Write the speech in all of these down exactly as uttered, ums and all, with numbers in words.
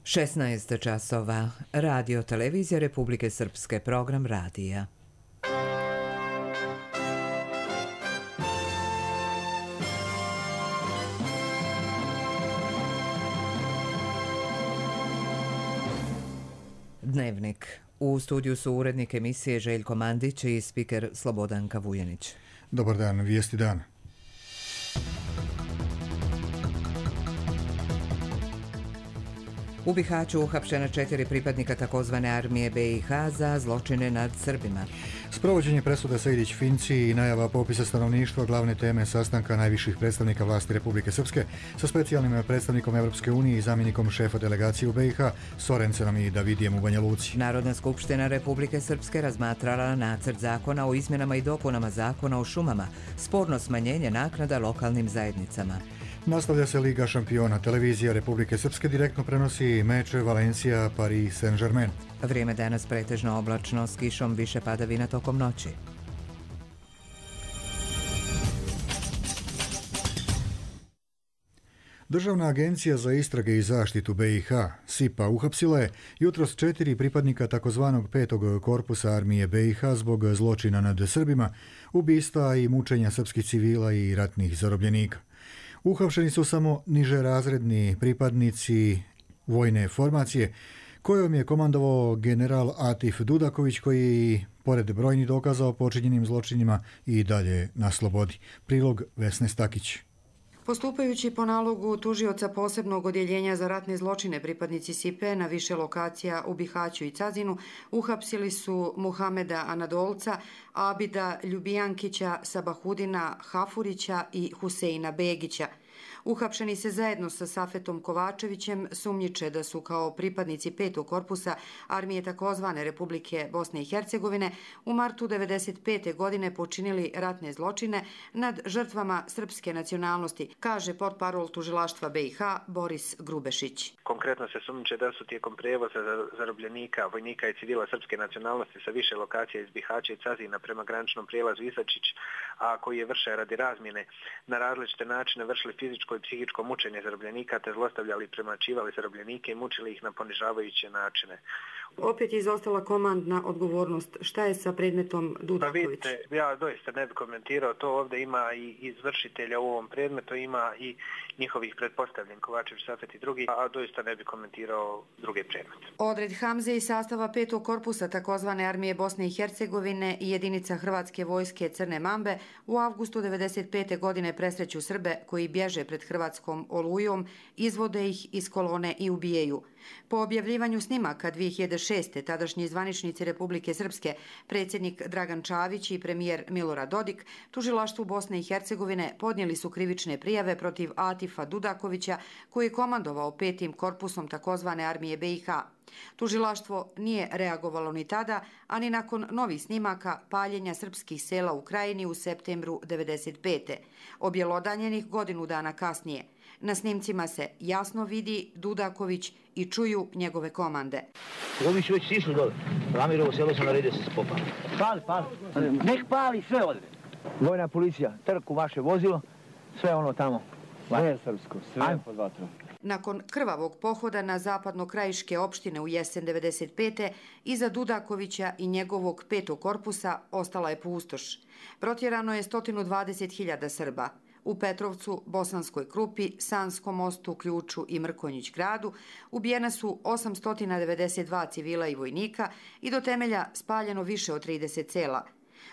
šesnaest časova. Radio Televizija Republike Srpske, program radija. Dnevnik. U studiju su urednik emisije Željko Mandić i spiker Slobodanka Vujanić. Dobar dan, vijesti dana. U Bihaću uhapšena četiri pripadnika takozvane armije B i H za zločine nad Srbima. Sprovođenje presude Sejdić-Finci i najava popisa stanovništva glavne teme sastanka najviših predstavnika vlasti Republike Srpske sa specijalnim predstavnikom Evropske unije i zamjenikom šefa delegacije u B i H Sorencenom i Davidijem u Banja Luci. Narodna skupština Republike Srpske razmatrala nacrt zakona o izmjenama i dopunama zakona o šumama, sporno smanjenje naknada lokalnim zajednicama. Nastavlja se Liga šampiona. Televizija Republike Srpske direktno prenosi meč Valencija Paris Saint-Germain. Vrijeme danas pretežno oblačno, s kišom, više padavina tokom noći. Državna agencija za istrage i zaštitu B i H, S I P A, uhapsila je jutros četiri pripadnika takozvanog petog korpusa armije B i H zbog zločina nad Srbima, ubistva i mučenja srpskih civila i ratnih zarobljenika. Uhapšeni su samo nižerazredni pripadnici vojne formacije, kojom je komandovao general Atif Dudaković, koji, pored brojnih dokaza o počinjenim zločinima, i dalje na slobodi. Prilog Vesne Stakić. Postupajući po nalogu tužioca posebnog odjeljenja za ratne zločine, pripadnici S I P E na više lokacija u Bihaću i Cazinu uhapsili su Muhameda Anadolca, Abida Ljubijankića, Sabahudina Hafurića i Huseina Begića. Uhapšeni se zajedno sa Safetom Kovačevićem sumnjiče da su kao pripadnici petog korpusa armije takozvane Republike Bosne i Hercegovine u martu devedeset pete godine počinili ratne zločine nad žrtvama srpske nacionalnosti, kaže portparol tužilaštva B i H Boris Grubešić. Konkretno se sumnjiče da su tijekom prijevoza zarobljenika, vojnika i civila srpske nacionalnosti sa više lokacija iz Bihaća i Cazina prema graničnom prijelazu Isačić, a koji je vrše radi razmjene, na različite načine vršili fizičko i psihičko mučenje zarobljenika te zlostavljali i premlaćivali zarobljenike i mučili ih na ponižavajuće načine. Opet je izostala komandna odgovornost. Šta je sa predmetom Dudaković? Pa vidite, ja doista ne bih komentirao to. Ovdje ima i izvršitelja u ovom predmetu, ima i njihovih pretpostavljen Kovačević, Safet i drugi, a doista ne bih komentirao druge predmete. Odred Hamze iz sastava petog korpusa takozvane armije Bosne i Hercegovine i jedinica Hrvatske vojske Crne Mambe u avgustu devedeset pete godine presreću Srbe koji bježe pred Hrvatskom olujom, izvode ih iz kolone i ubijaju. Po objavljivanju snimaka dvije hiljade šeste. tadašnji zvaničnici Republike Srpske, predsjednik Dragan Čavić i premijer Milorad Dodik, tužilaštvu Bosne i Hercegovine podnijeli su krivične prijave protiv Atifa Dudakovića, koji je komandovao petim korpusom takozvane armije B i H. Tužilaštvo nije reagovalo ni tada, ani nakon novih snimaka paljenja srpskih sela u Krajini u septembru devedeset pete. Objelodanjenih godinu dana kasnije. Na snimcima se jasno vidi Dudaković i čuju njegove komande. Ovi su već sišli dole. Ramirovo selo se naredio se spopa. Pali, pali. Nek pali sve ovdje. Vojna policija, trku vaše vozilo, sve ono tamo. Sve srpsko, sve pod vatrom. Nakon krvavog pohoda na zapadno-krajiške opštine u jesen devedeset pete. iza Dudakovića i njegovog petog korpusa ostala je pustoš. Protjerano je sto dvadeset hiljada Srba. U Petrovcu, Bosanskoj Krupi, Sanskom mostu, Ključu i Mrkonjić gradu ubijena su osamsto devedeset dva civila i vojnika i do temelja spaljeno više od trideset sela.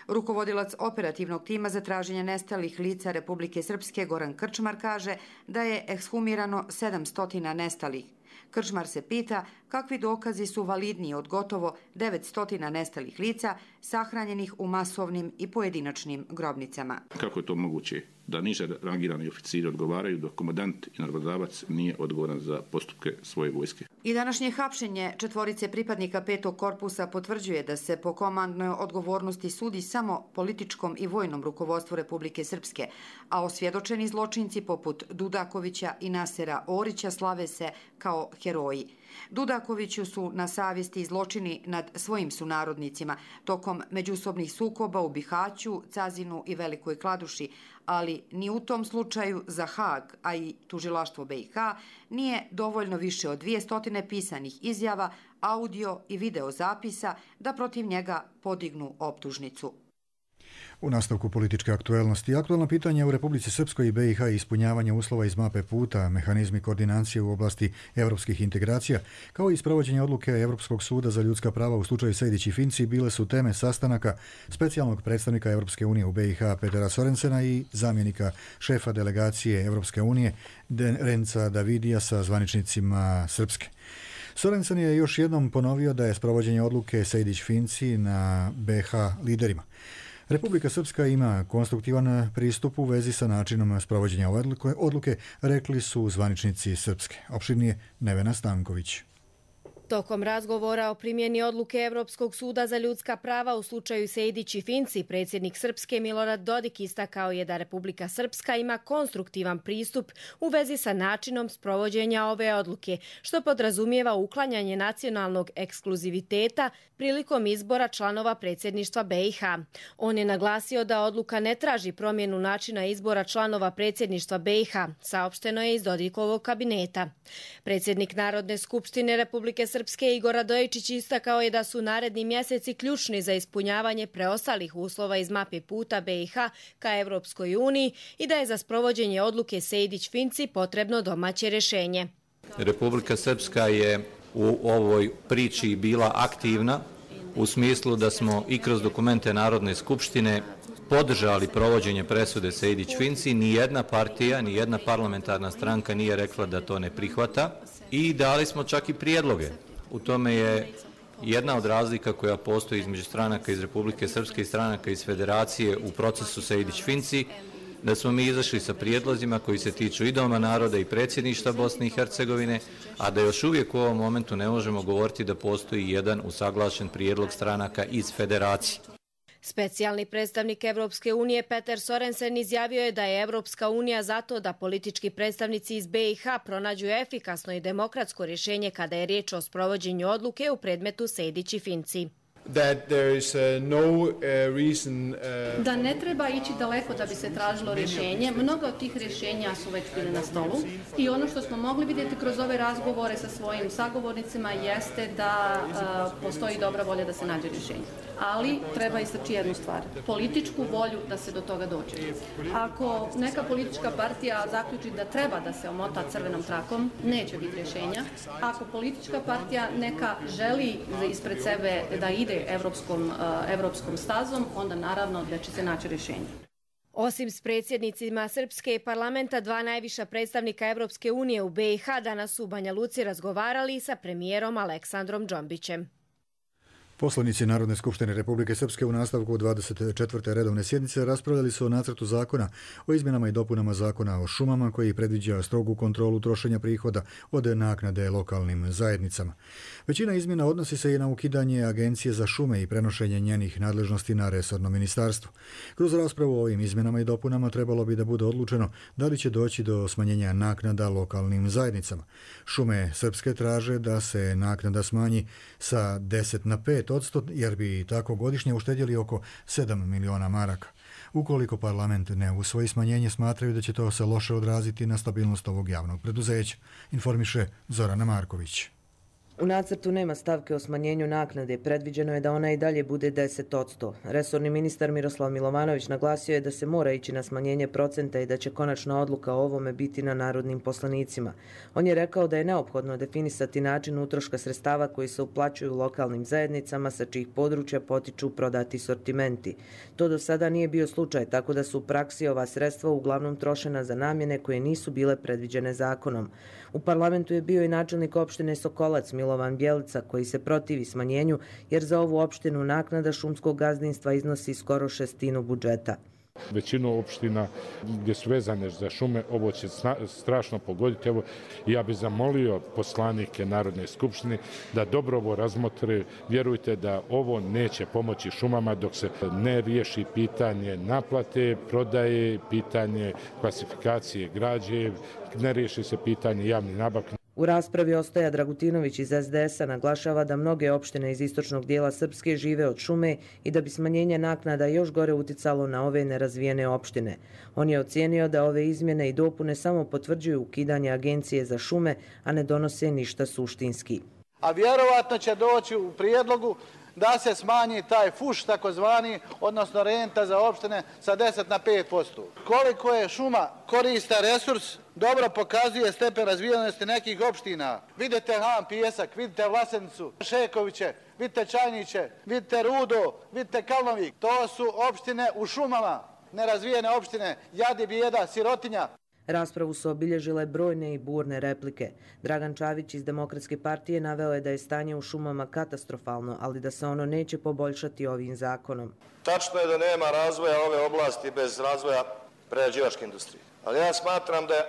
Rukovodilac operativnog tima za traženje nestalih lica Republike Srpske Goran Krčmar kaže da je ekshumirano sedamsto nestalih. Krčmar se pita kakvi dokazi su validniji od gotovo devetsto nestalih lica sahranjenih u masovnim i pojedinačnim grobnicama. Kako je to moguće da niže rangirani oficiri odgovaraju dok komandant i naredbodavac nije odgovoran za postupke svoje vojske? I današnje hapšenje četvorice pripadnika petog korpusa potvrđuje da se po komandnoj odgovornosti sudi samo političkom i vojnom rukovodstvu Republike Srpske, a osvjedočeni zločinci poput Dudakovića i Nasera Orića slave se kao heroji. Dudakoviću su na savjesti zločini nad svojim sunarodnicima tokom međusobnih sukoba u Bihaću, Cazinu i Velikoj Kladuši, ali ni u tom slučaju za Haag, a i tužilaštvo B i H, nije dovoljno više od dvije stotine pisanih izjava, audio i video zapisa da protiv njega podignu optužnicu. U nastavku političke aktuelnosti, aktualno pitanje u Republici Srpskoj i B i H ispunjavanje uslova iz mape puta, mehanizmi koordinacije u oblasti europskih integracija, kao i sprovođenje odluke Europskog suda za ljudska prava u slučaju Sejdić i Finci bile su teme sastanaka specijalnog predstavnika Europske unije u B i H Petera Sorensena i zamjenika šefa delegacije Europske unije Renca Davidija sa zvaničnicima Srpske. Sorensen je još jednom ponovio da je sprovođenje odluke Sejdić-Finci na B i H liderima. Republika Srpska ima konstruktivan pristup u vezi sa načinom sprovođenja ove odluke, rekli su zvaničnici Srpske. Opširnije Nevena Stanković. Tokom razgovora o primjeni odluke Evropskog suda za ljudska prava u slučaju Sejdić i Finci, predsjednik Srpske Milorad Dodik istakao je da Republika Srpska ima konstruktivan pristup u vezi sa načinom sprovođenja ove odluke, što podrazumijeva uklanjanje nacionalnog ekskluziviteta prilikom izbora članova predsjedništva B i H. On je naglasio da odluka ne traži promjenu načina izbora članova predsjedništva B i H, saopšteno je iz Dodikovog kabineta. Predsjednik Narodne skupštine Republike Srpske Igor Radojičić istakao je da su naredni mjeseci ključni za ispunjavanje preostalih uslova iz mape puta B i H ka Evropskoj uniji i da je za sprovođenje odluke Sejdić-Finci potrebno domaće rješenje. Republika Srpska je u ovoj priči bila aktivna u smislu da smo i kroz dokumente Narodne skupštine podržali provođenje presude Sejdić-Finci. Nijedna partija, nijedna parlamentarna stranka nije rekla da to ne prihvata i dali smo čak i prijedloge. U tome je jedna od razlika koja postoji između stranaka iz Republike Srpske i stranaka iz Federacije u procesu Sejdić-Finci, da smo mi izašli sa prijedlozima koji se tiču i Doma naroda i predsjedništva Bosne i Hercegovine, a da još uvijek u ovom momentu ne možemo govoriti da postoji jedan usaglašen prijedlog stranaka iz Federacije. Specijalni predstavnik Evropske unije Peter Sorensen izjavio je da je Evropska unija zato da politički predstavnici iz B i H pronađu efikasno i demokratsko rješenje kada je riječ o sprovođenju odluke u predmetu Sejdić i Finci. Da ne treba ići daleko da bi se tražilo rješenje. Mnoga od tih rješenja su već bile na stolu i ono što smo mogli vidjeti kroz ove razgovore sa svojim sagovornicima jeste da uh, postoji dobra volja da se nađe rješenje. Ali treba istaći jednu stvar, političku volju da se do toga dođe. Ako neka politička partija zaključi da treba da se omota crvenom trakom, neće biti rješenja. Ako politička partija neka želi ispred sebe da ide Evropskom, evropskom stazom, onda naravno da će se naći rješenje. Osim s predsjednicima Srpske parlamenta, dva najviša predstavnika Evropske unije u B i H danas su u Banja Luci razgovarali sa premijerom Aleksandrom Džombićem. Poslanici Narodne skupštine Republike Srpske u nastavku dvadeset četvrte redovne sjednice raspravljali su o nacrtu zakona o izmjenama i dopunama zakona o šumama koji predviđa strogu kontrolu trošenja prihoda od naknade lokalnim zajednicama. Većina izmjena odnosi se i na ukidanje Agencije za šume i prenošenje njenih nadležnosti na resorno ministarstvo. Kroz raspravu o ovim izmjenama i dopunama trebalo bi da bude odlučeno da li će doći do smanjenja naknada lokalnim zajednicama. Šume Srpske traže da se naknada smanji sa deset na pet odsto, jer bi tako godišnje uštedjeli oko sedam miliona maraka. Ukoliko parlament ne usvoji smanjenje, smatraju da će to se loše odraziti na stabilnost ovog javnog preduzeća, informiše Zorana Marković. U nacrtu nema stavke o smanjenju naknade, predviđeno je da ona i dalje bude deset odsto. Resorni ministar Miroslav Milovanović naglasio je da se mora ići na smanjenje procenta i da će konačna odluka o ovome biti na narodnim poslanicima. On je rekao da je neophodno definisati način utroška sredstava koji se uplaćuju lokalnim zajednicama sa čijih područja potiču prodati sortimenti. To do sada nije bio slučaj, tako da su u praksi ova sredstva uglavnom trošena za namjene koje nisu bile predviđene zakonom. U parlamentu je bio i načelnik opštine Sokolac Milovan Bjelica koji se protivi smanjenju jer za ovu opštinu naknada šumskog gazdinstva iznosi skoro šestinu budžeta. Većinu opština gdje su vezane za šume ovo će strašno pogoditi. Evo, ja bih zamolio poslanike Narodne skupštine da dobro ovo razmotre. Vjerujte da ovo neće pomoći šumama dok se ne riješi pitanje naplate, prodaje, pitanje klasifikacije građe, ne riješi se pitanje javnih nabavki. U raspravi Ostoja Dragutinović iz es de es-a naglašava da mnoge opštine iz istočnog dijela Srpske žive od šume i da bi smanjenje naknada još gore uticalo na ove nerazvijene opštine. On je ocijenio da ove izmjene i dopune samo potvrđuju ukidanje Agencije za šume, a ne donose ništa suštinski. A vjerovatno će doći u prijedlogu da se smanji taj fuš takozvani, odnosno renta za opštine sa deset na pet posto. Koliko je šuma koristan resurs, dobro pokazuje stepen razvijenosti nekih opština. Vidite Han Pijesak, vidite Vlasenicu, Šekoviće, vidite Čajniće, vidite Rudo, vidite Kalnovik. To su opštine u šumama, nerazvijene opštine, jadi, bijeda, sirotinja. Raspravu su obilježile brojne i burne replike. Dragan Čavić iz Demokratske partije naveo je da je stanje u šumama katastrofalno, ali da se ono neće poboljšati ovim zakonom. Tačno je da nema razvoja ove oblasti bez razvoja prerađivačke industrije. Ali ja smatram da je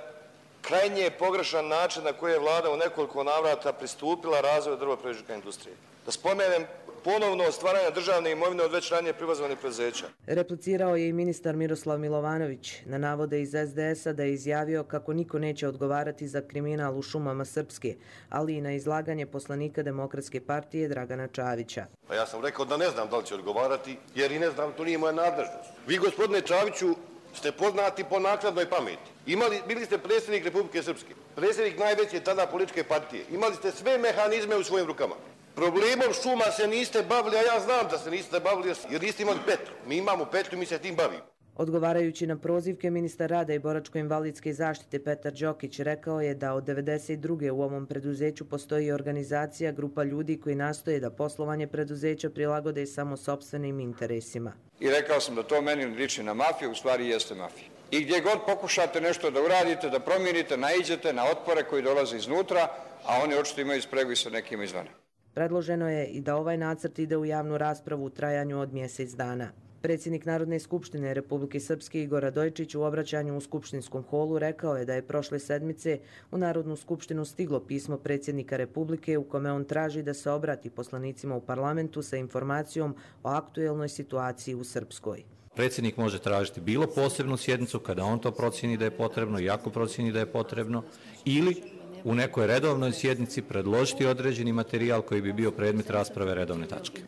krajnje pogrešan način na koji je vlada u nekoliko navrata pristupila razvoju drvoprerađivačke industrije. Da spomenem ponovno stvaranje državne imovine od već ranije privatizovanih preduzeća. Replicirao je i ministar Miroslav Milovanović na navode iz es de es-a da je izjavio kako niko neće odgovarati za kriminal u šumama Srpske, ali i na izlaganje poslanika Demokratske partije Dragana Čavića. Pa ja sam rekao da ne znam da li će odgovarati, jer i ne znam, to nije moja nadležnost. Vi, gospodine Čaviću, ste poznati po naknadnoj pameti. Imali, bili ste predsjednik Republike Srpske, predsjednik najveće tada političke partije. Imali ste sve mehanizme u svojim rukama. Problemom šuma se niste bavili, a ja znam da se niste bavili jer niste imali petlju. Mi imamo petlju, mi se tim bavimo. Odgovarajući na prozivke, ministar rada i boračko-invalidske zaštite Petar Đokić rekao je da od devedeset druge u ovom preduzeću postoji organizacija, grupa ljudi koji nastoje da poslovanje preduzeća prilagode samo sopstvenim interesima. I rekao sam da to meni liči na mafiju, u stvari jeste mafija. I gdje god pokušate nešto da uradite, da promijenite, naiđete na otpore koji dolaze iznutra, a oni očito imaju spregu i sa nekima izvana. Predloženo je i da ovaj nacrt ide u javnu raspravu u trajanju od mjesec dana. Predsjednik Narodne skupštine Republike Srpske Igor Radojičić u obraćanju u skupštinskom holu rekao je da je prošle sedmice u Narodnu skupštinu stiglo pismo predsjednika Republike u kome on traži da se obrati poslanicima u parlamentu sa informacijom o aktuelnoj situaciji u Srpskoj. Predsjednik može tražiti bilo posebnu sjednicu kada on to procjeni da je potrebno i ako procjeni da je potrebno, ili u nekoj redovnoj sjednici predložiti određeni materijal koji bi bio predmet rasprave redovne tačke.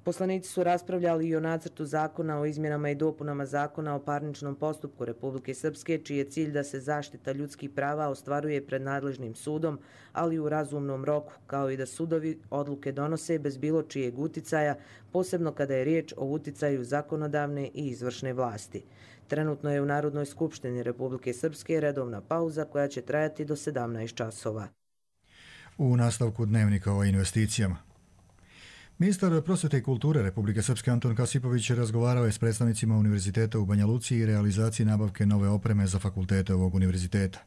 Poslanici su raspravljali i o nacrtu zakona o izmjenama i dopunama zakona o parničnom postupku Republike Srpske, čiji je cilj da se zaštita ljudskih prava ostvaruje pred nadležnim sudom, ali u razumnom roku, kao i da sudovi odluke donose bez bilo čijeg uticaja, posebno kada je riječ o uticaju zakonodavne i izvršne vlasti. Trenutno je u Narodnoj skupštini Republike Srpske redovna pauza koja će trajati do sedamnaest časova. U nastavku dnevnika o investicijama. Ministar prosvjete i kulture Republike Srpske Anton Kasipović razgovarao je s predstavnicima Univerziteta u Banja Luci i realizaciji nabavke nove opreme za fakultete ovog univerziteta.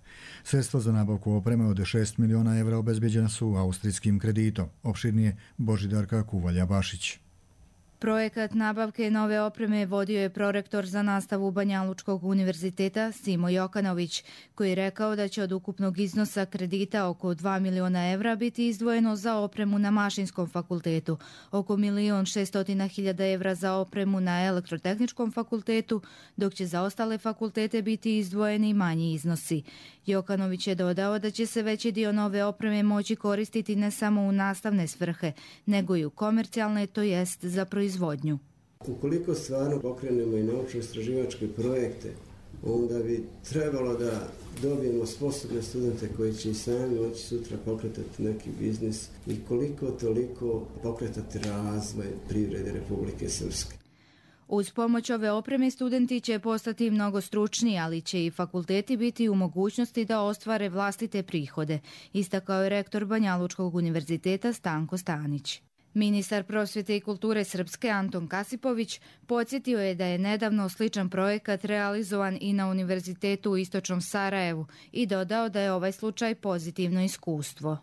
Sredstva za nabavku opreme od šest miliona evra obezbeđena su austrijskim kreditom. Opširnije Božidarka Kuvalja-Bašić. Projekat nabavke nove opreme vodio je prorektor za nastavu Banjalučkog univerziteta Simo Jokanović, koji je rekao da će od ukupnog iznosa kredita oko dva miliona evra biti izdvojeno za opremu na Mašinskom fakultetu, oko milion šestotina hiljada evra za opremu na Elektrotehničkom fakultetu, dok će za ostale fakultete biti izdvojeni manji iznosi. Jokanović je dodao da će se veći dio nove opreme moći koristiti ne samo u nastavne svrhe, nego i u komercijalne, to jest za proizvodnju. Ukoliko stvarno pokrenemo i naučno-istraživačke projekte, onda bi trebalo da dobijemo sposobne studente koji će i sami moći sutra pokretati neki biznis i koliko toliko pokretati razvoj privrede Republike Srpske. Uz pomoć ove opreme studenti će postati mnogo stručniji, ali će i fakulteti biti u mogućnosti da ostvare vlastite prihode, istakao je rektor Banjalučkog univerziteta Stanko Stanić. Ministar prosvjete i kulture Srpske Anton Kasipović podsjetio je da je nedavno sličan projekat realizovan i na Univerzitetu u Istočnom Sarajevu i dodao da je ovaj slučaj pozitivno iskustvo.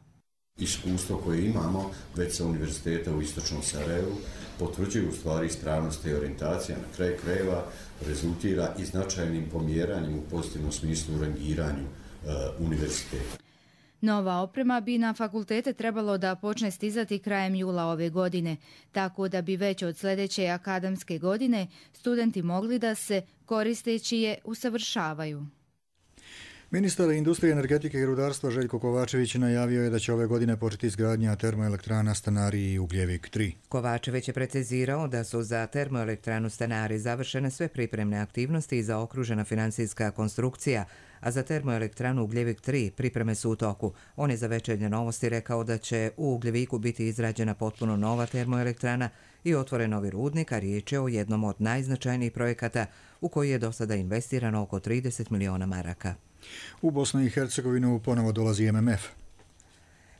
Iskustvo koje imamo već sa Univerziteta u Istočnom Sarajevu potvrđuje u stvari ispravnost te orijentacije, na kraju krajeva rezultira i značajnim pomjeranjem u pozitivnom smislu u rangiranju uh, univerziteta. Nova oprema bi na fakultete trebalo da počne stizati krajem jula ove godine, tako da bi već od sljedeće akademske godine studenti mogli da se koristeći je usavršavaju. Ministar industrije, energetike i rudarstva Željko Kovačević najavio je da će ove godine početi izgradnja termoelektrana Stanari i Ugljevik tri. Kovačević je precizirao da su za termoelektranu Stanari završene sve pripremne aktivnosti i zaokružena financijska konstrukcija, a za termoelektranu Ugljevik tri pripreme su u toku. On je za Večernje novosti rekao da će u Ugljeviku biti izrađena potpuno nova termoelektrana i otvoren novi rudnik, a riječ je o jednom od najznačajnijih projekata u koji je do sada investirano oko trideset miliona maraka. U Bosnu i Hercegovinu ponovo dolazi M M F.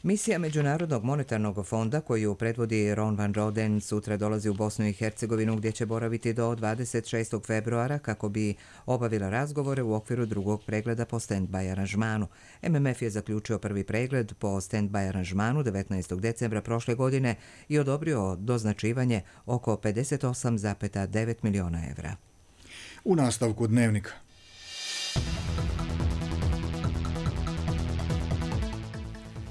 Misija Međunarodnog monetarnog fonda koju predvodi Ron van Roden sutra dolazi u Bosnu i Hercegovinu gdje će boraviti do dvadeset šestog februara kako bi obavila razgovore u okviru drugog pregleda po stand-by aranžmanu. M M F je zaključio prvi pregled po stand-by aranžmanu devetnaestog decembra prošle godine i odobrio doznačivanje oko pedeset osam zarez devet miliona evra. U nastavku Dnevnika.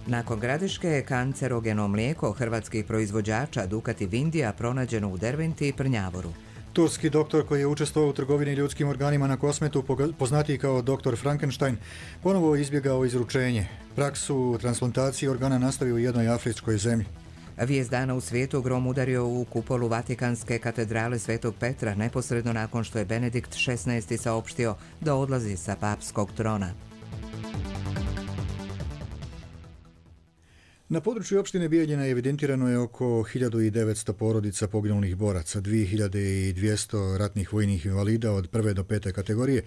Nakon Gradiške, kancerogeno mlijeko hrvatskih proizvođača Dukat i Vindija pronađeno u Derventi i Prnjavoru. Turski doktor koji je učestvovao u trgovini ljudskim organima na Kosmetu, poznatiji kao doktor Frankenstein, ponovo izbjegao izručenje. Praksu transplantacije organa nastavio u jednoj afričkoj zemlji. Vijest dana u svijetu grom udario u kupolu Vatikanske katedrale Svetog Petra neposredno nakon što je Benedikt šesnaesti saopštio da odlazi sa papskog trona. Na području opštine Bijeljina evidentirano je oko hiljadu devetsto porodica poginulih boraca, dvije hiljade dvjesto ratnih vojnih invalida od prve do pete kategorije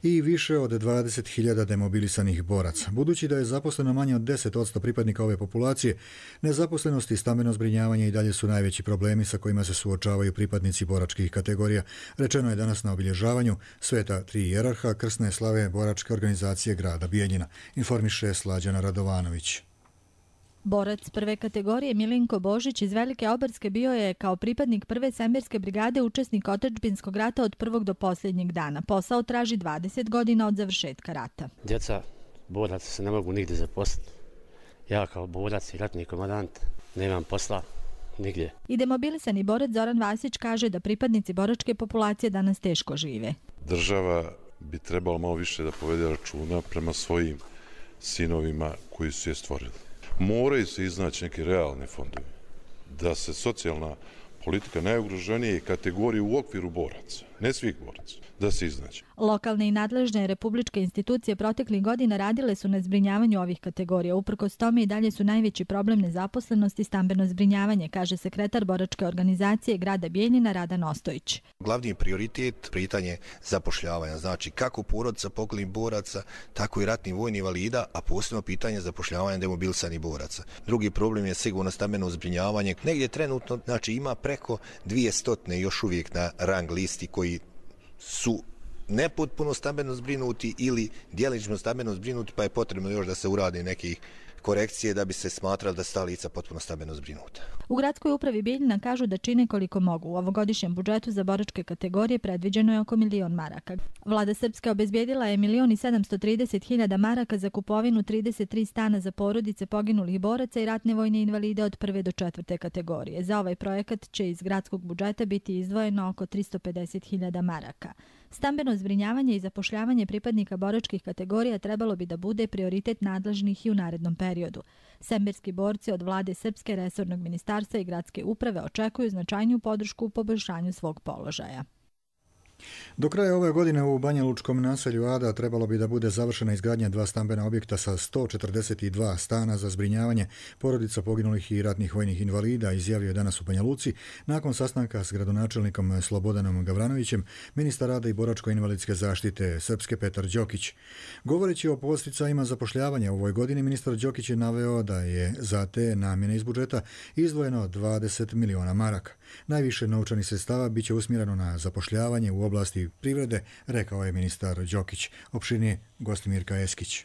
i više od dvadeset hiljada demobilisanih boraca. Budući da je zaposleno manje od deset posto pripadnika ove populacije, nezaposlenost i stambeno zbrinjavanje i dalje su najveći problemi sa kojima se suočavaju pripadnici boračkih kategorija. Rečeno je danas na obilježavanju Sveta tri hijerarha krsne slave boračke organizacije grada Bijeljina, informiše Slađana Radovanović. Borac prve kategorije Milinko Božić iz Velike Obarske bio je kao pripadnik prve svemirske brigade učesnik otadžbinskog rata od prvog do posljednjeg dana. Posao traži dvadeset godina od završetka rata. Djeca boraca se ne mogu nigdje zaposliti. Ja kao borac i ratni komandant nemam posla nigdje. I demobilisani borac Zoran Vasić kaže da pripadnici boračke populacije danas teško žive. Država bi trebalo malo više da povede računa prema svojim sinovima koji su je stvorili. Moraju se iznaći neki realni fondovi, da se socijalna politika najugroženije kategorije u okviru boraca, ne svih boraca, da se iznaći. Lokalne i nadležne republičke institucije proteklih godina radile su na zbrinjavanju ovih kategorija. Uprkos tome i dalje su najveći problem nezaposlenost i stambeno zbrinjavanje, kaže sekretar boračke organizacije grada Bijeljina Radan Ostojić. Glavni prioritet pitanje zapošljavanja, znači kako porodica poginulih boraca, tako i ratnih vojnih invalida, a posebno pitanje zapošljavanja demobilisanih boraca. Drugi problem je sigurno stambeno zbrinjavanje. Negdje trenutno znači ima preko dvjesto još uvijek na rang listi koji su nepotpuno stambeno zbrinuti ili djelično stambeno zbrinuti, pa je potrebno još da se urade nekih korekcije da bi se smatralo da sta lica potpuno stambeno zbrinuta. U gradskoj upravi Bijeljina kažu da čine koliko mogu. U ovogodišnjem budžetu za boračke kategorije predviđeno je oko milion maraka. Vlada Srpske obezbijedila je milion i sedamsto trideset hiljada maraka za kupovinu trideset tri stana za porodice poginulih boraca i ratne vojne invalide od prve do četvrte kategorije. Za ovaj projekat će iz gradskog budžeta biti izdvojeno oko tristo pedeset hiljada maraka. Stambeno zbrinjavanje i zapošljavanje pripadnika boračkih kategorija trebalo bi da bude prioritet nadležnih i u narednom periodu. Semberski borci od vlade Srpske, resornog ministarstva i gradske uprave očekuju značajniju podršku u poboljšanju svog položaja. Do kraja ove godine u Banjalučkom naselju Ada trebalo bi da bude završena izgradnja dva stambena objekta sa sto četrdeset dva stana za zbrinjavanje porodica poginulih i ratnih vojnih invalida, izjavio je danas u Banja Luci nakon sastanka s gradonačelnikom Slobodanom Gavranovićem, ministar rada i boračko-invalidske zaštite Srpske Petar Đokić. Govoreći o posticajima zapošljavanja u ovoj godini, ministar Đokić je naveo da je za te namjene iz budžeta izdvojeno dvadeset miliona maraka. Najviše novčanih sredstava biće usmjereno na zapošljavanje u oblasti privrede, rekao je ministar Đokić. Opširnije Gostimirka Eskić.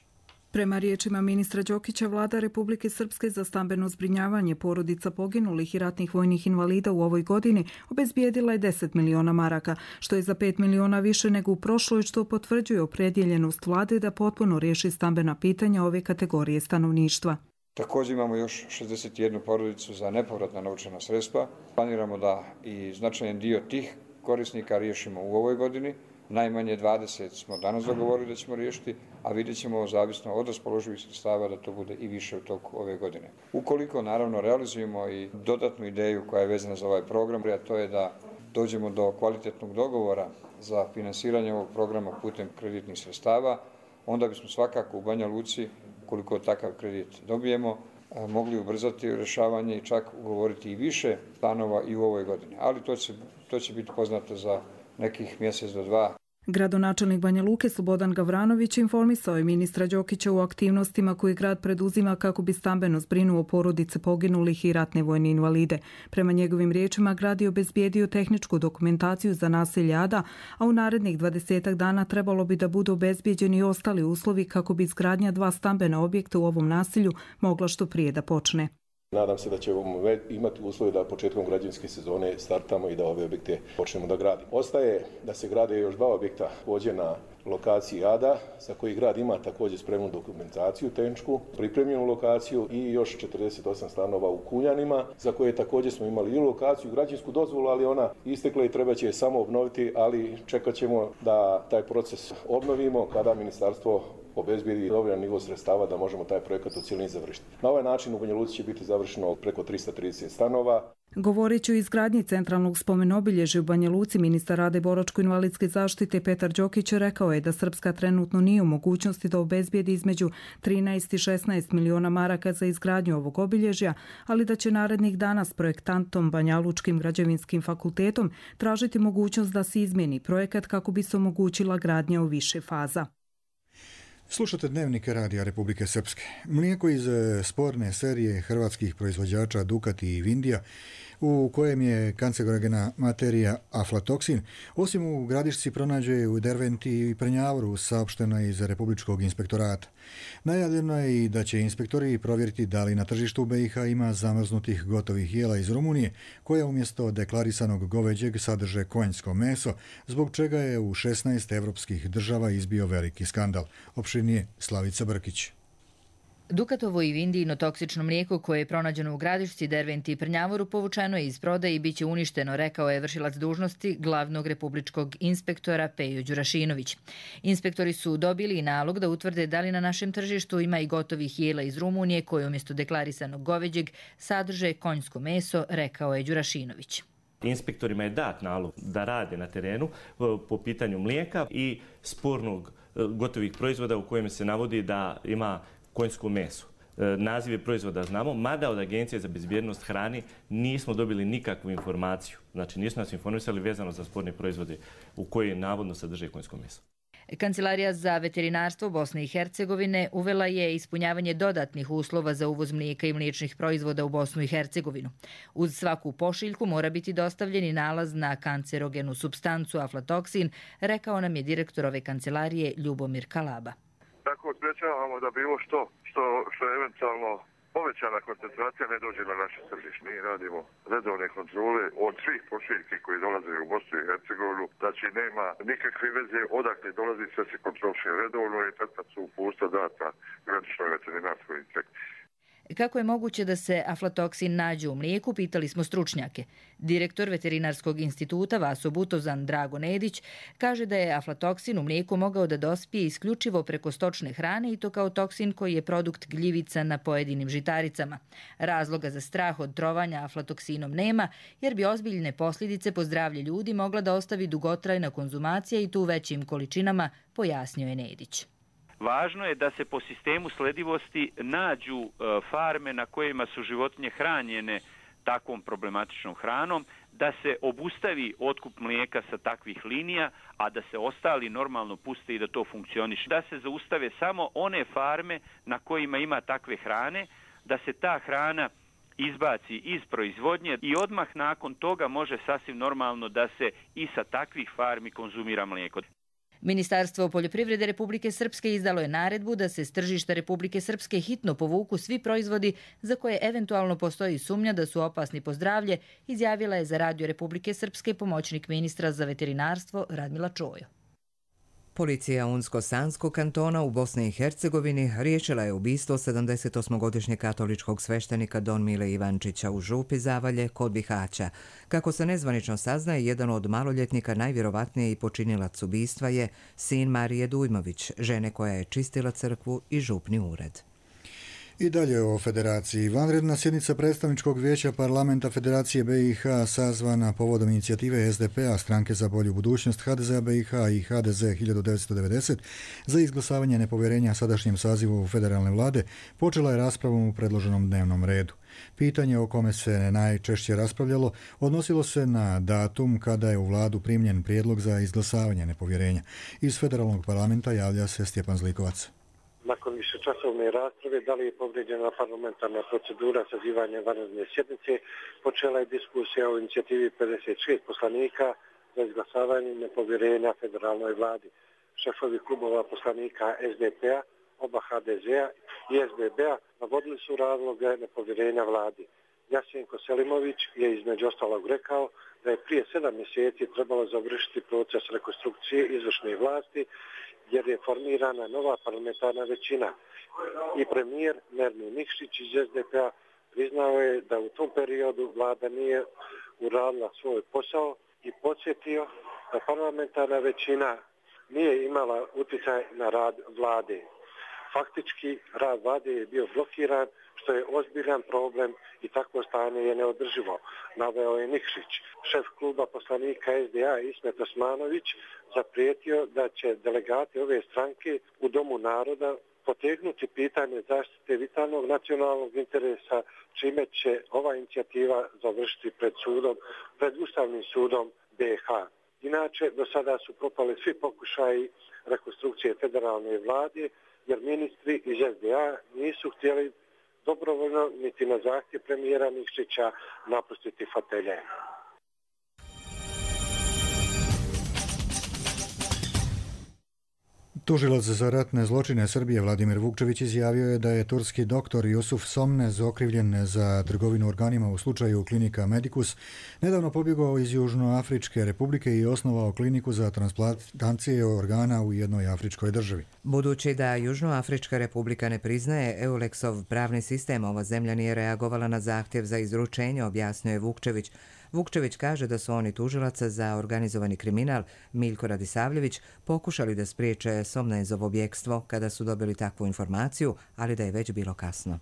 Prema riječima ministra Đokića, vlada Republike Srpske za stambeno zbrinjavanje porodica poginulih i ratnih vojnih invalida u ovoj godini obezbijedila je deset miliona maraka, što je za pet miliona više nego u prošloj, što potvrđuje opredjeljenost vlade da potpuno riješi stambena pitanja ove kategorije stanovništva. Također imamo još šezdeset jednu porodicu za nepovratna novčana sredstva. Planiramo da i značajan dio tih korisnika riješimo u ovoj godini. Najmanje dvadeset smo danas dogovorili da ćemo riješiti, a vidjet ćemo zavisno od raspoloživih sredstava da to bude i više u toku ove godine. Ukoliko naravno realizujemo i dodatnu ideju koja je vezana za ovaj program, a to je da dođemo do kvalitetnog dogovora za finansiranje ovog programa putem kreditnih sredstava, onda bismo svakako u Banja Luci, koliko takav kredit dobijemo, mogli ubrzati rješavanje i čak ugovoriti i više stanova i u ovoj godini. Ali to će, to će biti poznato za nekih mjesec do dva. Gradonačelnik Banja Luke Slobodan Gavranović informisao je ministra Đokića u aktivnostima koje grad preduzima kako bi stambeno zbrinuo porodice poginulih i ratne vojne invalide. Prema njegovim riječima, grad je obezbijedio tehničku dokumentaciju za naselje Ada, a u narednih dvadesetak dana trebalo bi da budu obezbijeđeni i ostali uslovi kako bi izgradnja dva stambena objekta u ovom naselju mogla što prije da počne. Nadam se da ćemo imati uslove da početkom građevinske sezone startamo i da ove objekte počnemo da gradimo. Ostaje da se grade još dva objekta također na lokaciji Ada, za koji grad ima također spremnu dokumentaciju tehničku, pripremljenu lokaciju i još četrdeset osam stanova u Kunjanima, za koje također smo imali i lokaciju i građevinsku dozvolu, ali ona istekla i treba će je samo obnoviti, ali čekat ćemo da taj proces obnovimo kada ministarstvo obezbijedi dovoljan nivo sredstava da možemo taj projekat u cijelini završiti. Na ovaj način u Banja Luci će biti završeno preko trista trideset stanova. Govoreći o izgradnji centralnog spomenobilježja u Banja Luci, ministar rada i boračko-invalidske zaštite Petar Đokić rekao je da Srpska trenutno nije u mogućnosti da obezbijedi između trinaest i šesnaest miliona maraka za izgradnju ovog obilježja, ali da će narednih dana s projektantom Banjalučkim građevinskim fakultetom tražiti mogućnost da se izmijeni projekat kako bi se omogućila gradnja u više faza. Slušate Dnevnike Radija Republike Srpske. Mlijeko iz sporne serije hrvatskih proizvođača Dukat i Vindija, u kojem je kancerogena materija aflatoksin, osim u Gradišci pronađe u Derventi i Prnjavoru, saopšteno je iz Republičkog inspektorata. Najavljeno je i da će inspektori provjeriti da li na tržištu B i H ima zamrznutih gotovih jela iz Rumunije, koja umjesto deklarisanog goveđeg sadrže konjsko meso, zbog čega je u šesnaest evropskih država izbio veliki skandal. Opširnije Slavica Brkić. Dukatovo i Vindijino toksično mlijeko koje je pronađeno u Gradišci, Derventi i Prnjavoru povučeno je iz prodaje i bit će uništeno, rekao je vršilac dužnosti glavnog republičkog inspektora Pejo Đurašinović. Inspektori su dobili i nalog da utvrde da li na našem tržištu ima i gotovih jela iz Rumunije koje umjesto deklarisanog goveđeg sadrže konjsko meso, rekao je Đurašinović. Inspektorima je dat nalog da rade na terenu po pitanju mlijeka i spornog gotovih proizvoda u kojem se navodi da ima konjsko meso. Nazive proizvoda znamo, mada od Agencije za bezbjednost hrane nismo dobili nikakvu informaciju. Znači nismo nas informisali vezano za sporne proizvode u koje navodno sadrže konjsko meso. Kancelarija za veterinarstvo Bosne i Hercegovine uvela je ispunjavanje dodatnih uslova za uvoz mlijeka i mliječnih proizvoda u Bosnu i Hercegovinu. Uz svaku pošiljku mora biti dostavljen i nalaz na kancerogenu supstancu aflatoksin, rekao nam je direktor ove kancelarije Ljubomir Kalaba. Tako sprečavamo da bilo što, što, što je eventualno povećana koncentracija ne dođe na naše tržište. Mi radimo redovne kontrole od svih pošiljki koji dolaze u Bosnu i Hercegovinu, znači nema nikakve veze odakle dolazi, sve se kontroliše redovno i tad su upustva data graničnoj veterinarskoj inspekciji. Kako je moguće da se aflatoksin nađe u mlijeku, pitali smo stručnjake. Direktor Veterinarskog instituta Vaso Butozan Drago Nedić kaže da je aflatoksin u mlijeku mogao da dospije isključivo preko stočne hrane i to kao toksin koji je produkt gljivica na pojedinim žitaricama. Razloga za strah od trovanja aflatoksinom nema, jer bi ozbiljne posljedice po zdravlje ljudi mogla da ostavi dugotrajna konzumacija i to u većim količinama, pojasnio je Nedić. Važno je da se po sistemu sledivosti nađu farme na kojima su životinje hranjene takvom problematičnom hranom, da se obustavi otkup mlijeka sa takvih linija, a da se ostali normalno puste i da to funkcioniše. Da se zaustave samo one farme na kojima ima takve hrane, da se ta hrana izbaci iz proizvodnje i odmah nakon toga može sasvim normalno da se i sa takvih farmi konzumira mlijeko. Ministarstvo poljoprivrede Republike Srpske izdalo je naredbu da se s tržišta Republike Srpske hitno povuku svi proizvodi za koje eventualno postoji sumnja da su opasni po zdravlje, izjavila je za Radio Republike Srpske pomoćnik ministra za veterinarstvo Radmila Čojo. Policija Unsko-Sanskog kantona u Bosni i Hercegovini riješila je ubistvo sedamdesetosmogodišnjeg katoličkog sveštenika Don Mile Ivančića u župi Zavalje kod Bihaća. Kako se nezvanično saznaje, jedan od maloljetnika najvjerovatnije i počinilac ubistva je sin Marije Dujmović, žene koja je čistila crkvu i župni ured. I dalje o Federaciji. Vanredna sjednica predstavničkog vijeća parlamenta Federacije B i H sazvana povodom inicijative S D P-a, Stranke za bolju budućnost, H D Z-a B i H i H D Z hiljadu devetsto devedeset za izglasavanje nepovjerenja sadašnjem sazivu federalne vlade počela je raspravom u predloženom dnevnom redu. Pitanje o kome se najčešće raspravljalo odnosilo se na datum kada je u vladu primljen prijedlog za izglasavanje nepovjerenja. Iz federalnog parlamenta javlja se Stjepan Zlikovac. Nakon višečasovne rasprave da li je povrijeđena parlamentarna procedura sazivanja vanredne sjednice, počela je diskusija o inicijativi pedeset šest poslanika za izglasavanje nepovjerenja federalnoj vladi. Šefovi klubova poslanika S D P-a, oba H D Z-a i S B B-a navodili su razloge nepovjerenja vladi. Jasenko Selimović je između ostalog rekao da je prije sedam mjeseci trebalo završiti proces rekonstrukcije izvršne vlasti jer je formirana nova parlamentarna većina. I premijer Nermin Nikšić iz S D P-a priznao je da u tom periodu vlada nije uradila svoj posao i podsjetio da parlamentarna većina nije imala utjecaj na rad vlade. Faktički rad vlade je bio blokiran, što je ozbiljan problem i takvo stanje je neodrživo, naveo je Nikšić. Šef kluba poslanika S D A Ismet Osmanović zaprijetio da će delegati ove stranke u Domu naroda potegnuti pitanje zaštite vitalnog nacionalnog interesa, čime će ova inicijativa završiti pred sudom, pred Ustavnim sudom B i H. Inače, do sada su propali svi pokušaji rekonstrukcije federalne vlade, jer ministri iz S D A nisu htjeli dobrovoljno niti na zahtjev premijera Nikšića napustiti fotelje. Tužilac za ratne zločine Srbije Vladimir Vukčević izjavio je da je turski doktor Jusuf Somnez, okrivljen za trgovinu organima u slučaju klinika Medicus, nedavno pobjegao iz Južnoafričke republike i osnovao kliniku za transplantacije organa u jednoj afričkoj državi. Budući da Južnoafrička republika ne priznaje Eulexov pravni sistem, ova zemlja nije reagovala na zahtjev za izručenje, objasnio je Vukčević. Vukčević kaže da su oni tužilaca za organizovani kriminal Miljko Radisavljević pokušali da spriječe Somnezovo bjekstvo kada su dobili takvu informaciju, ali da je već bilo kasno.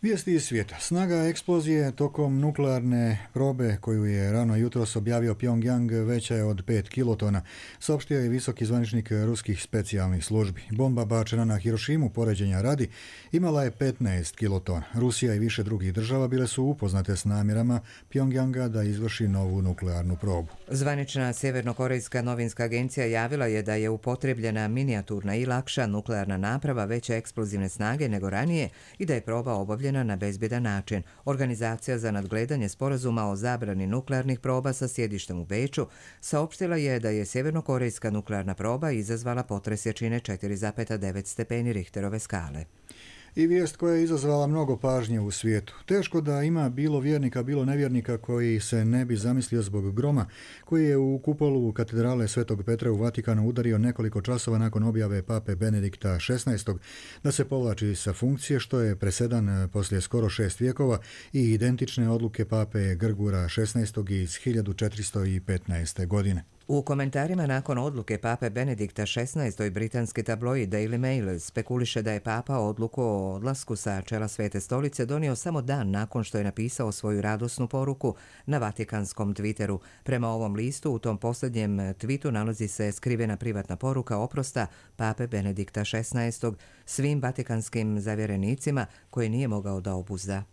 Vijesti iz svijeta. Snaga eksplozije tokom nuklearne probe koju je rano jutros objavio Pyongyang veća je od pet kilotona, saopštio je visoki zvaničnik ruskih specijalnih službi. Bomba bačena na Hirošimu, poređenja radi, imala je petnaest kilotona. Rusija i više drugih država bile su upoznate s namjerama Pyongyanga da izvrši novu nuklearnu probu. Zvanična sjevernokorejska novinska agencija javila je da je upotrebljena minijaturna i lakša nuklearna naprava veće eksplozivne snage nego ranije i da je proba obavljena na bezbjedan način. Organizacija za nadgledanje sporazuma o zabrani nuklearnih proba sa sjedištem u Beču saopštila je da je sjevernokorejska nuklearna proba izazvala potres jačine četiri zarez devet stepeni Richterove skale. I vijest koja je izazvala mnogo pažnje u svijetu. Teško da ima bilo vjernika, bilo nevjernika koji se ne bi zamislio zbog groma koji je u kupolu katedrale Svetog Petra u Vatikanu udario nekoliko časova nakon objave pape Benedikta šesnaestog da se povlači sa funkcije, što je presedan poslije skoro šest vijekova i identične odluke pape Grgura šesnaestog iz hiljadu četiristo petnaeste. godine. U komentarima nakon odluke pape Benedikta šesnaestog britanski tabloid Daily Mail spekuliše da je papa odluku o odlasku sa čela Svete stolice donio samo dan nakon što je napisao svoju radosnu poruku na vatikanskom Twitteru. Prema ovom listu u tom posljednjem tweetu nalazi se skrivena privatna poruka oprosta pape Benedikta šesnaestog svim vatikanskim zavjerenicima koje nije mogao da obuzda.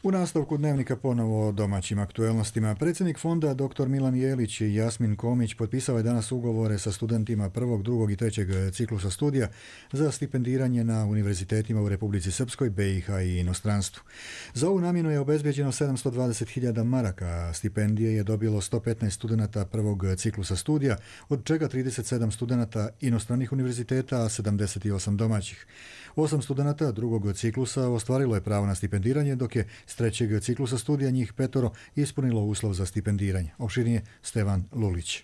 U nastavku dnevnika ponovo o domaćim aktuelnostima. Predsjednik fonda dr Milan Jelić i Jasmin Komić potpisao je danas ugovore sa studentima prvog, drugog i trećeg ciklusa studija za stipendiranje na univerzitetima u Republici Srpskoj, B i H i inostranstvu. Za ovu namjenu je obezbeđeno sedamsto dvadeset hiljada maraka, a stipendije je dobilo sto petnaest studenata prvog ciklusa studija, od čega trideset sedam studenata inostranih univerziteta, a sedamdeset osam domaćih. Osam studenata drugog ciklusa ostvarilo je pravo na stipendiranje, dok je s trećeg ciklusa studija njih petoro ispunilo uslov za stipendiranje. Opširnije Stevan Lulić.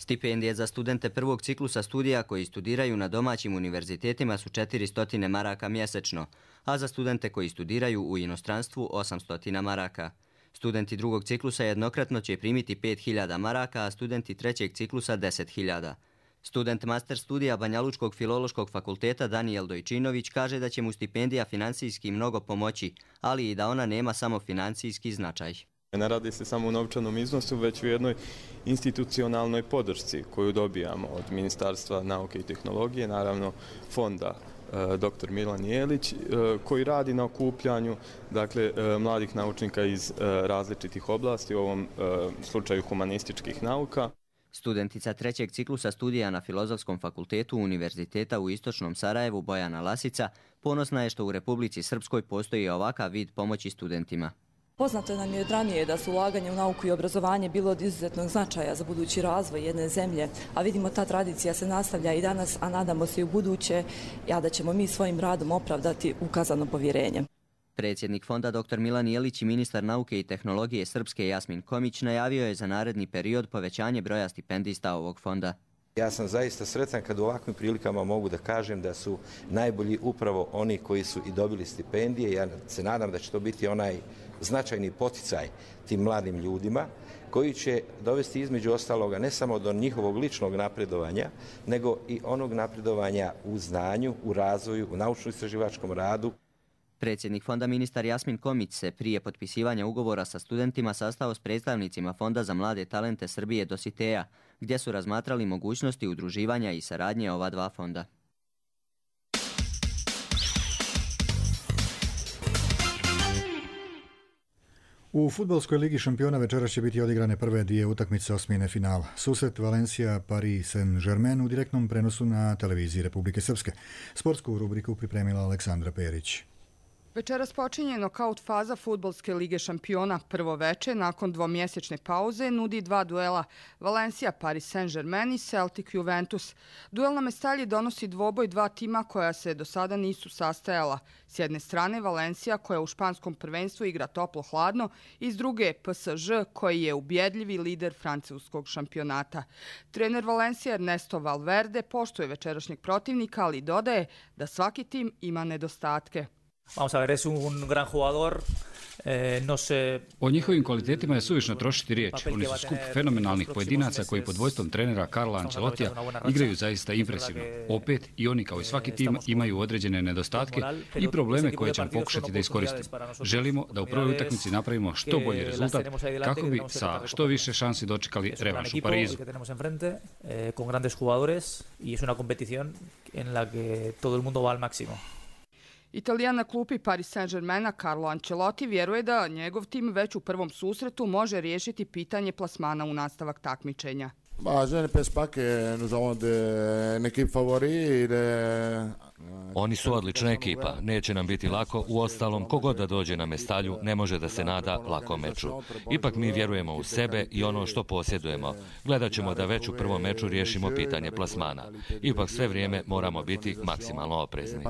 Stipendije za studente prvog ciklusa studija koji studiraju na domaćim univerzitetima su četiristo maraka mjesečno, a za studente koji studiraju u inostranstvu osamsto maraka. Studenti drugog ciklusa jednokratno će primiti pet hiljada maraka, a studenti trećeg ciklusa deset hiljada. Student master studija Banjalučkog filološkog fakulteta Danijel Dojčinović kaže da će mu stipendija financijski mnogo pomoći, ali i da ona nema samo financijski značaj. Ne radi se samo u novčanom iznosu, već u jednoj institucionalnoj podršci koju dobijamo od Ministarstva nauke i tehnologije, naravno fonda doktor Milan Jelić, koji radi na okupljanju dakle, mladih naučnika iz različitih oblasti, u ovom slučaju humanističkih nauka. Studentica trećeg ciklusa studija na Filozofskom fakultetu Univerziteta u Istočnom Sarajevu Bojana Lasica ponosna je što u Republici Srpskoj postoji ovakav vid pomoći studentima. Poznato nam je od ranije da su ulaganje u nauku i obrazovanje bilo od izuzetnog značaja za budući razvoj jedne zemlje, a vidimo ta tradicija se nastavlja i danas, a nadamo se i u buduće, a da ćemo mi svojim radom opravdati ukazano povjerenje. Predsjednik fonda doktor Milan Jelić i ministar nauke i tehnologije Srpske Jasmin Komić najavio je za naredni period povećanje broja stipendista ovog fonda. Ja sam zaista sretan kad u ovakvim prilikama mogu da kažem da su najbolji upravo oni koji su i dobili stipendije. Ja se nadam da će to biti onaj značajni poticaj tim mladim ljudima koji će dovesti između ostaloga ne samo do njihovog ličnog napredovanja, nego i onog napredovanja u znanju, u razvoju, u naučno-istraživačkom radu. Predsjednik fonda ministar Jasmin Komić se prije potpisivanja ugovora sa studentima sastao s predstavnicima Fonda za mlade talente Srbije Dositeja, gdje su razmatrali mogućnosti udruživanja i saradnje ova dva fonda. U fudbalskoj ligi šampiona večeras će biti odigrane prve dvije utakmice osmine finala. Susret Valencia-Paris Saint-Germain u direktnom prenosu na televiziji Republike Srpske. Sportsku rubriku pripremila Aleksandra Perić. Večeras počinje nokaut faza fudbalske lige šampiona. Prvo veče, nakon dvomjesečne pauze, nudi dva duela. Valencia, Paris Saint-Germain i Celtic Juventus. Duel na Mestalji donosi dvoboj dva tima koja se do sada nisu sastajala. S jedne strane Valencia koja u španskom prvenstvu igra toplo-hladno i s druge P S Ž koji je ubjedljivi lider francuskog šampionata. Trener Valencija Ernesto Valverde poštuje večerašnjeg protivnika, ali dodaje da svaki tim ima nedostatke. Vamos a ver, es un gran jugador. Eh, no se... O njihovim kvalitetima je suvišno trošiti riječ. Oni su skup fenomenalnih pojedinaca koji pod vodstvom trenera Carla Ancelotija igraju zaista impresivno. Opet i oni kao i svaki tim imaju određene nedostatke i probleme koje ćemo pokušati da iskoristimo. Želimo da u prvoj utakmici napravimo što bolji rezultat kako bi sa što više šansi dočekali revanš u Parizu. Con grandes jugadores y es una competición en la que todo el mundo va al máximo. Italijan na klupi Paris Saint-Germaina Carlo Ancelotti vjeruje da njegov tim već u prvom susretu može riješiti pitanje plasmana u nastavak takmičenja. Oni su odlična ekipa, neće nam biti lako, uostalom kogod da dođe na Mestalju ne može da se nada lakom meču. Ipak mi vjerujemo u sebe i ono što posjedujemo. Gledat ćemo da već u prvom meču riješimo pitanje plasmana. Ipak sve vrijeme moramo biti maksimalno oprezni.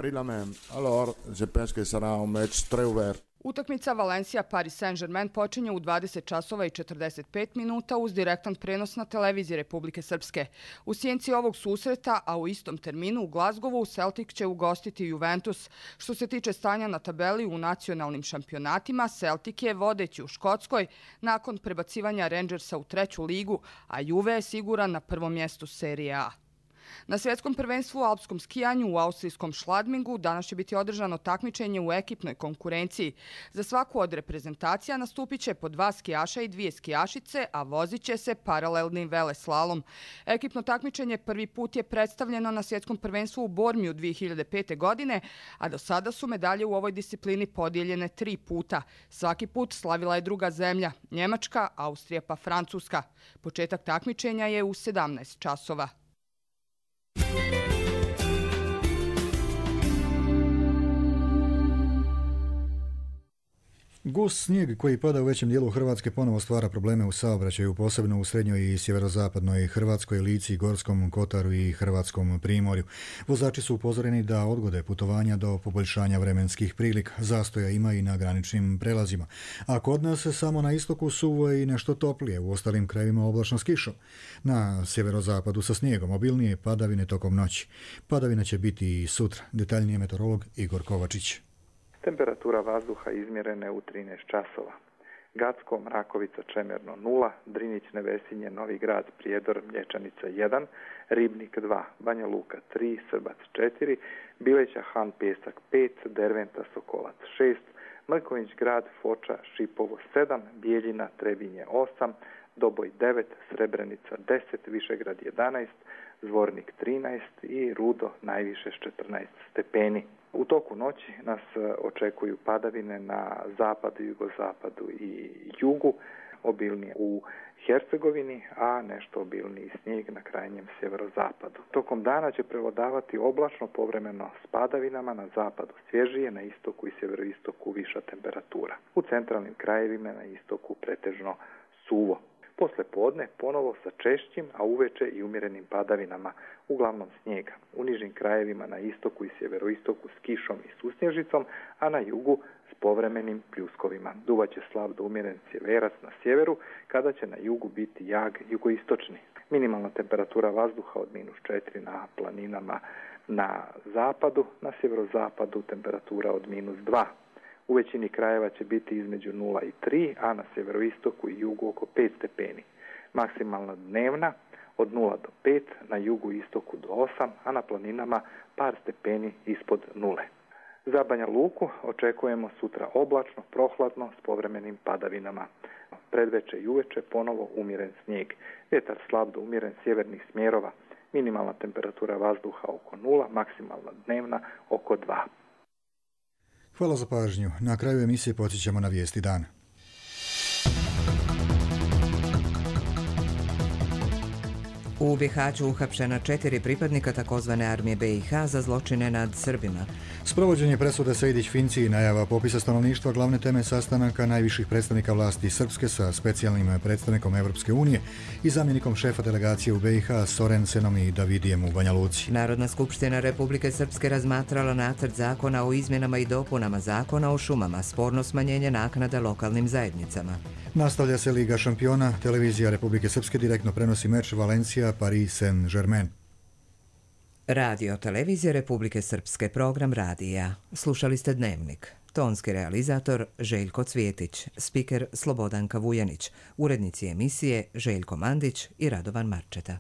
Utakmica Valencia-Paris Saint-Germain počinje u dvadeset časova i četrdeset pet minuta uz direktan prenos na televiziji Republike Srpske. U sjenci ovog susreta, a u istom terminu u Glazgovu, Celtic će ugostiti Juventus. Što se tiče stanja na tabeli u nacionalnim šampionatima, Celtic je vodeći u Škotskoj nakon prebacivanja Rangersa u treću ligu, a Juve je siguran na prvom mjestu serije A. Na svjetskom prvenstvu u alpskom skijanju u austrijskom Schladmingu danas će biti održano takmičenje u ekipnoj konkurenciji. Za svaku od reprezentacija nastupit će po dva skijaša i dvije skijašice, a vozit će se paralelni veleslalom. Ekipno takmičenje prvi put je predstavljeno na svjetskom prvenstvu u Bormiju dvije hiljade pete. godine, a do sada su medalje u ovoj disciplini podijeljene tri puta. Svaki put slavila je druga zemlja, Njemačka, Austrija pa Francuska. Početak takmičenja je u sedamnaest časova. Gust snijeg koji pada u većem dijelu Hrvatske ponovo stvara probleme u saobraćaju, posebno u srednjoj i sjeverozapadnoj Hrvatskoj, Lici, Gorskom kotaru i Hrvatskom primorju. Vozači su upozoreni da odgode putovanja do poboljšanja vremenskih prilika. Zastoja ima i na graničnim prelazima. A kod nas samo na istoku suvo je i nešto toplije, u ostalim krajevima oblačno s kišom. Na sjeverozapadu sa snijegom, obilnije padavine tokom noći. Padavina će biti i sutra. Detaljnije meteorolog Igor Kovačić. Temperatura vazduha izmjerene u trinaest časova. Gacko, Mrakovica, Čemerno nula, Drinić, Nevesinje, Novi Grad, Prijedor, Mlječanica jedan, Ribnik dva, Banja Luka tri, Srbac četiri, Bileća, Han, Pjesak pet, Derventa, Sokolac šest, Mrković Grad, Foča, Šipovo sedam, Bijeljina, Trebinje osam, Doboj devet, Srebrenica deset, Višegrad jedanaest, Zvornik trinaest i Rudo najviše s četrnaest stepeni. U toku noći nas očekuju padavine na zapadu, jugozapadu i jugu, obilnije u Hercegovini, a nešto obilniji snijeg na krajnjem sjeverozapadu. Tokom dana će prevladavati oblačno, povremeno s padavinama, na zapadu svježije, na istoku i sjeveroistoku viša temperatura. U centralnim krajevima na istoku pretežno suvo. Posle podne ponovo sa češćim, a uveče i umjerenim padavinama, uglavnom snijega. U nižim krajevima na istoku i sjeveroistoku s kišom i susnježicom, a na jugu s povremenim pljuskovima. Duvaće slab do umjeren sjeverac na sjeveru, kada će na jugu biti jag jugoistočni. Minimalna temperatura vazduha od minus četiri na planinama na zapadu, na sjeverozapadu temperatura od minus dva. U većini krajeva će biti između nula i tri, a na sjeveroistoku i jugu oko pet stepeni. Maksimalna dnevna od nula do pet, na jugu i istoku do osam, a na planinama par stepeni ispod nule. Za Banja Luku očekujemo sutra oblačno, prohladno s povremenim padavinama. Predveče i uveče ponovo umjeren snijeg. Vjetar slab do umjeren sjevernih smjerova. Minimalna temperatura vazduha oko nula, maksimalna dnevna oko dva. Hvala za pažnju. Na kraju emisije podsjećamo na vijesti dana. U Bihaću uhapšena četiri pripadnika takozvane armije B i H za zločine nad Srbima. Sprovođenje presude Sejdić-Finci i najava popisa stanovništva glavne teme sastanaka najviših predstavnika vlasti Srpske sa specijalnim predstavnikom Evropske unije i zamjenikom šefa delegacije u B i H Sorensenom i Davidijem u Banja Luci. Narodna skupština Republike Srpske razmatrala nacrt zakona o izmjenama i dopunama zakona o šumama, sporno smanjenje naknada lokalnim zajednicama. Nastavlja se Liga šampiona, televizija Republike Srpske direktno prenosi meč Valencija-Paris Saint-Germain. Radio televizija Republike Srpske, program radija. Slušali ste Dnevnik. Tonski realizator Željko Cvjetić, spiker Slobodanka Vujanić, urednici emisije Željko Mandić i Radovan Marčeta.